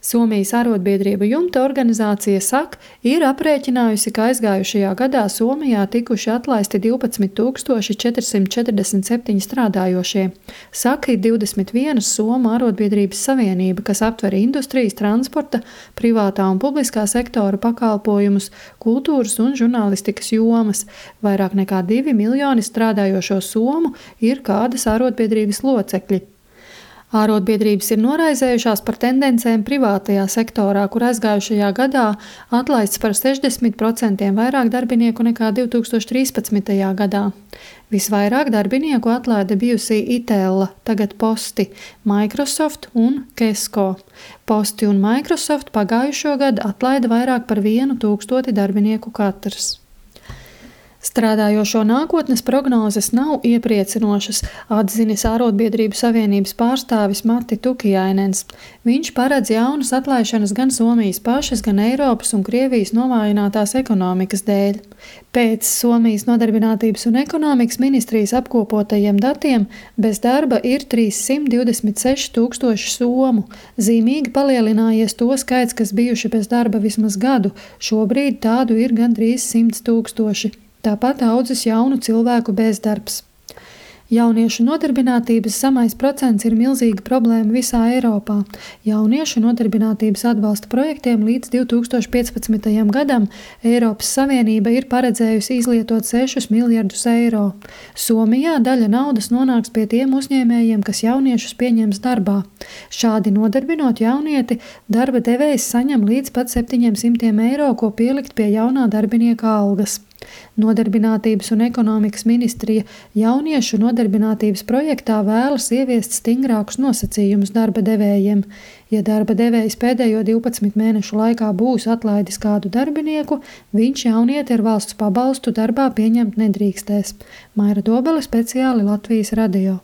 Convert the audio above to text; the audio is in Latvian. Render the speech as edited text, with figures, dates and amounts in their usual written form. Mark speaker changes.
Speaker 1: Somijas arotbiedrību jumta organizācija SAK ir aprēķinājusi, ka aizgājušajā gadā Somijā tikuši atlaisti 12 447 strādājošie. SAK ir 21 Somu arotbiedrības savienība, kas aptver industrijas, transporta, privātā un publiskā sektora pakalpojumus, kultūras un žurnālistikas jomas. Vairāk nekā 2 miljoni strādājošo somu ir kādas arotbiedrības locekļi. Ārotbiedrības ir noraizējušās par tendencēm privātajā sektorā, kur aizgājušajā gadā atlaists par 60% vairāk darbinieku nekā 2013. gadā. Visvairāk darbinieku atlaide bijusī Itella, tagad Posti, Microsoft un Kesko. Posti un Microsoft pagājušo gadu atlaida vairāk par 1000 darbinieku katrs. Strādājošo nākotnes prognozes nav iepriecinošas, atzinis Ārotbiedrību savienības pārstāvis Matti Tukijainens. Viņš paredz jaunas atlaišanas gan Somijas pašas, gan Eiropas un Krievijas novājinātās ekonomikas dēļ. Pēc Somijas nodarbinātības un ekonomikas ministrijas apkopotajiem datiem bez darba ir 326 000 somu. Zīmīgi palielinājies to skaits, kas bijuši bez darba vismaz gadu. Šobrīd tādu ir gandrīz 100 000. Tāpat audzis jaunu cilvēku bezdarbs. Jauniešu nodarbinātības zemais procents ir milzīga problēma visā Eiropā. Jauniešu nodarbinātības atbalsta projektiem līdz 2015. gadam Eiropas Savienība ir paredzējusi izlietot 6 miljardus eiro. Somijā daļa naudas nonāks pie tiem uzņēmējiem, kas jauniešus pieņems darbā. Šādi nodarbinot jaunieti, darba devējs saņem līdz pat 700 eiro, ko pielikt pie jaunā darbinieka algas. Nodarbinātības un ekonomikas ministrija jauniešu nodarbinātības projektā vēlas ieviest stingrākus nosacījumus darba devējiem. Ja darba devējs pēdējo 12 mēnešu laikā būs atlaidis kādu darbinieku, viņš jaunieti ar valsts pabalstu darbā pieņemt nedrīkstēs. Maira Dobele, speciāli Latvijas radio.